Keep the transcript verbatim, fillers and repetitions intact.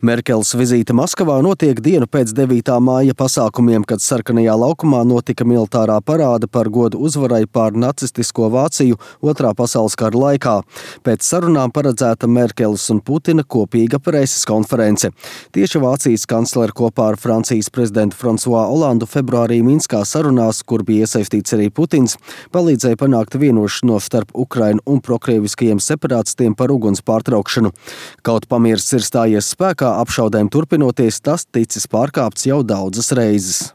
Merkeles vizīte Maskavā notiek dienu pēc devītā māja pasākumiem, kad Sarkanajā laukumā notika militārā parāde par godu uzvarai pār nacistisko Vāciju Otrā pasaules kara laikā. Pēc sarunām paredzēta Merkeles un Putina kopīga preses konference. Tieši Vācijas kanclere kopā ar Francijas prezidentu Fransuā Olandu februārī Minskā sarunās, kur bija iesaistīts arī Putins, palīdzēja panākt vienošanos starp Ukrainu un prokrieviskajiem separātistiem par uguns pārtraukšanu. Kaut pamiers ir stājies spēkā, apšaudēm turpinoties, tas ticis pārkāpts jau daudzas reizes.